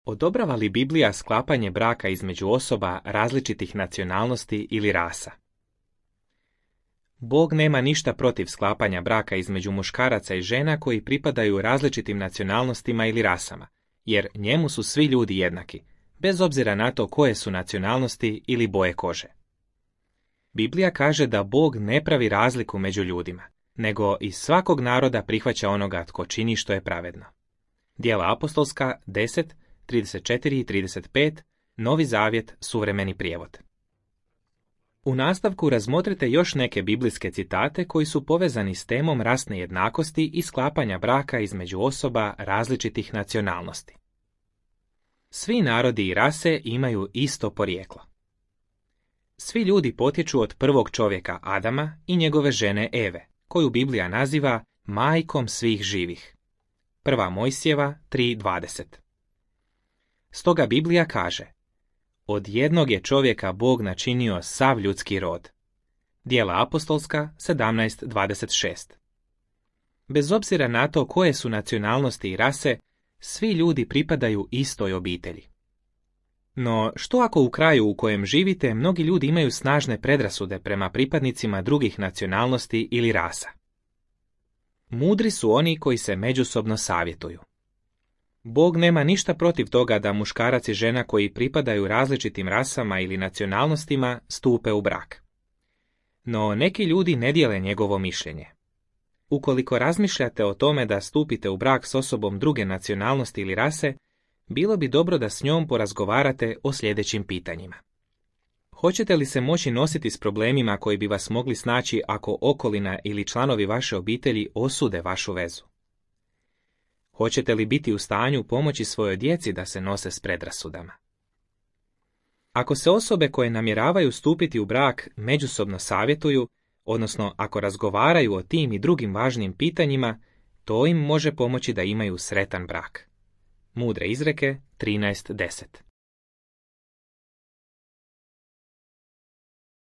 Odobrava li Biblija sklapanje braka između osoba različitih nacionalnosti ili rasa? Bog nema ništa protiv sklapanja braka između muškaraca i žena koji pripadaju različitim nacionalnostima ili rasama, jer njemu su svi ljudi jednaki, bez obzira na to koje su nacionalnosti ili boje kože. Biblija kaže da Bog ne pravi razliku među ljudima, nego iz svakog naroda prihvaća onoga tko čini što je pravedno. Djela apostolska 10, 34 i 35, Novi Zavjet, suvremeni prijevod. U nastavku razmotrite još neke biblijske citate koji su povezani s temom rasne jednakosti i sklapanja braka između osoba različitih nacionalnosti. Svi narodi i rase imaju isto porijeklo. Svi ljudi potječu od prvog čovjeka Adama i njegove žene Eve, koju Biblija naziva majkom svih živih. 1. Mojsijeva 3.20. Stoga Biblija kaže: od jednog je čovjeka Bog načinio sav ljudski rod. Djela apostolska 17.26. Bez obzira na to koje su nacionalnosti i rase, svi ljudi pripadaju istoj obitelji. No, što ako u kraju u kojem živite mnogi ljudi imaju snažne predrasude prema pripadnicima drugih nacionalnosti ili rasa? Mudri su oni koji se međusobno savjetuju. Bog nema ništa protiv toga da muškarac i žena koji pripadaju različitim rasama ili nacionalnostima stupe u brak. No, neki ljudi ne dijele njegovo mišljenje. Ukoliko razmišljate o tome da stupite u brak s osobom druge nacionalnosti ili rase, bilo bi dobro da s njom porazgovarate o sljedećim pitanjima. Hoćete li se moći nositi s problemima koji bi vas mogli snaći ako okolina ili članovi vaše obitelji osude vašu vezu? Hoćete li biti u stanju pomoći svojoj djeci da se nose s predrasudama? Ako se osobe koje namjeravaju stupiti u brak međusobno savjetuju, odnosno ako razgovaraju o tim i drugim važnim pitanjima, to im može pomoći da imaju sretan brak. Mudre izreke 13.10.